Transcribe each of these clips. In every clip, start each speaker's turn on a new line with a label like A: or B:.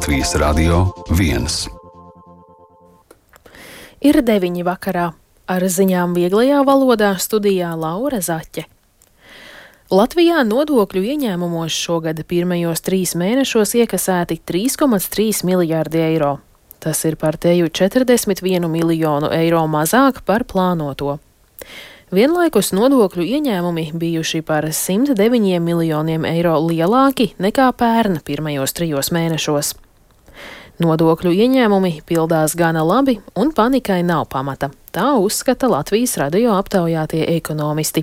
A: Latvijas Radio 1.
B: Ir 9 vakarā. Ar ziņām vieglajā valodā studijā Laura Zaķe. Latvijā nodokļu ieņēmumos šogad pirmajos 3 mēnešos iekasēti 3,3 miljārdi eiro. Tas ir par teju 41 miljonu eiro mazāk par plānoto. Vienlaikus nodokļu ieņēmumi bijuši par 109 miljoniem eiro lielāki nekā pērn pirmajos 3 mēnešos. Nodokļu ieņēmumi pildās gana labi un panikai nav pamata. Tā uzskata Latvijas radio aptaujātie ekonomisti.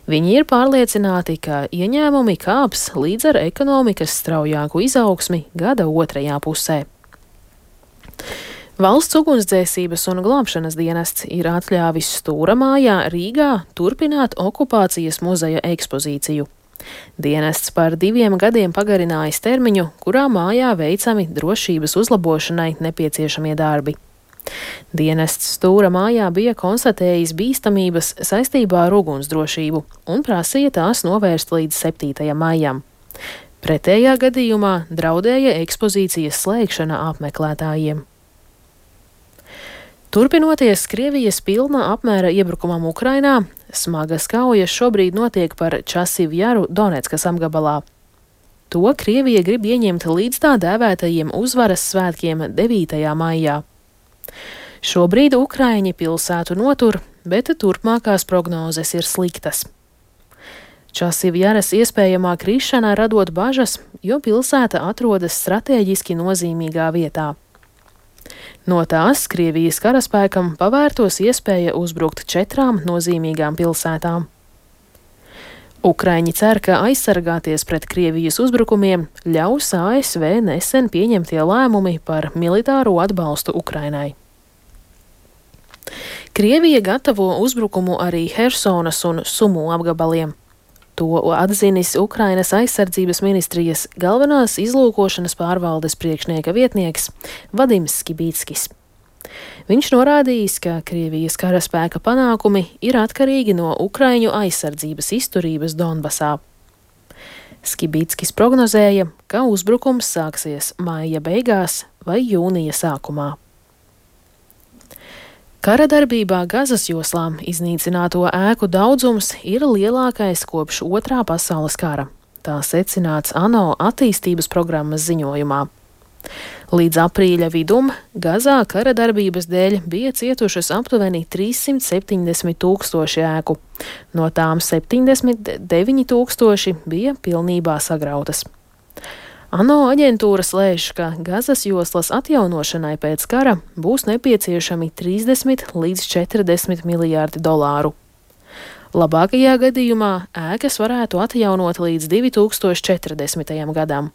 B: Viņi ir pārliecināti, ka ieņēmumi kāps līdz ar ekonomikas straujāku izaugsmi gada otrajā pusē. Valsts ugunsdzēsības un glābšanas dienests ir atļāvis Stūra mājā Rīgā turpināt okupācijas muzeja ekspozīciju. Dienests par 2 gadiem pagarinājis termiņu, kurā mājā veicami drošības uzlabošanai nepieciešamie darbi. Dienests Stūra mājā bija konstatējis bīstamības saistībā ar ugunsdrošību un prasīja tās novērst līdz 7. maijam. Pretējā gadījumā draudēja ekspozīcijas slēgšana apmeklētājiem. Turpinoties Krievijas pilna apmēra iebrukumam Ukrainā, smagas kaujas šobrīd notiek par Časivu jaru Doneckas apgabalā. To Krievija grib ieņemt līdz tā dēvētajiem uzvaras svētkiem 9. maijā. Šobrīd Ukraiņi pilsētu notur, bet turpmākās prognozes ir sliktas. Časivu jaras iespējamā krišana radot bažas, jo pilsēta atrodas stratēģiski nozīmīgā vietā. No tās Krievijas karaspēkam pavērtos iespēja uzbrukt 4 nozīmīgām pilsētām. Ukraiņi cer, ka aizsargāties pret Krievijas uzbrukumiem ļaus ASV nesen pieņemtie lēmumi par militāro atbalstu Ukrainai. Krievija gatavo uzbrukumu arī Hersonas un Sumu apgabaliem. To atzinis Ukrainas aizsardzības ministrijas galvenās izlūkošanas pārvaldes priekšnieka vietnieks Vadims Skibīckis. Viņš norādījis, ka Krievijas karaspēka panākumi ir atkarīgi no Ukraiņu aizsardzības izturības Donbasā. Skibīckis prognozēja, ka uzbrukums sāksies maija beigās vai jūnija sākumā. Kara darbībā Gazas joslā iznīcināto ēku daudzums ir lielākais kopš 2. pasaules kara. Tā secināts ANO attīstības programmas ziņojumā. Līdz aprīļa vidum Gazā kara darbības dēļ bija cietušas aptuveni 370 000 ēku. No tām 79 000 bija pilnībā sagrautas. ANO aģentūras lēš, ka Gazas joslas atjaunošanai pēc kara būs nepieciešami 30 līdz 40 miljārdi dolāru. Labākajā gadījumā ēkas varētu atjaunot līdz 2040. gadam,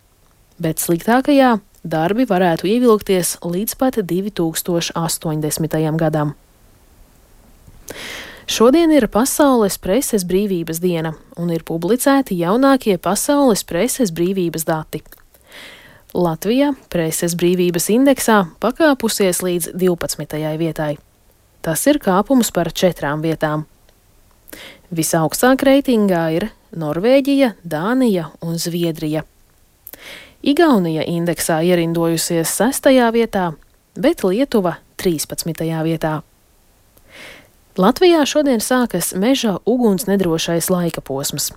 B: bet sliktākajā darbi varētu ievilkties līdz pat 2080. gadam. Šodien ir Pasaules preses brīvības diena un ir publicēti jaunākie pasaules preses brīvības dati. Latvija preses brīvības indeksā pakāpusies līdz 12. vietai. Tas ir kāpums par 4 vietām. Visaugstāk reitingā ir Norvēģija, Dānija un Zviedrija. Igaunija indeksā ierindojusies 6. vietā, bet Lietuva 13. vietā. Latvijā šodien sākas meža ugunsnedrošais laika posms.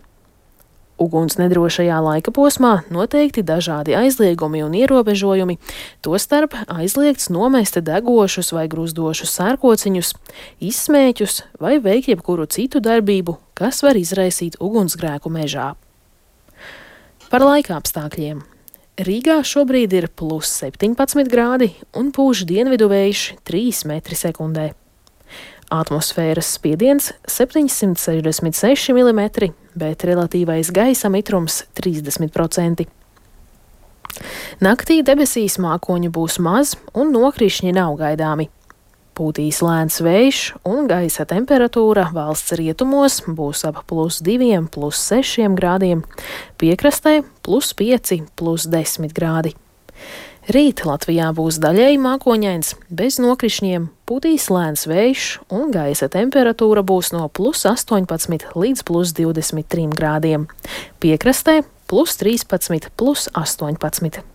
B: Ugunsnedrošajā laika posmā noteikti dažādi aizliegumi un ierobežojumi, tostarp aizliegts nomest degošus vai gruzdošus sērkociņus, izsmēķus vai veikt jebkuru citu darbību, kas var izraisīt ugunsgrēku mežā. Par laika apstākļiem. Rīgā šobrīd ir +17 grādi un pūš dienvidu vējš 3 metri sekundē. Atmosfēras spiediens 766 mm, bet relatīvais gaisa mitrums 30%. Naktī debesīs mākoņu būs maz un nokrišņi nav gaidāmi. Pūtīs lēns vējš un gaisa temperatūra valsts rietumos būs ap +2, +6 grādiem, piekrastē +5, +10 grādi. Rīt Latvijā būs daļēji mākoņains, bez nokrišņiem, pūtīs lēns vējš un gaisa temperatūra būs no +18 līdz +23 grādiem. Piekrastē +13, +18.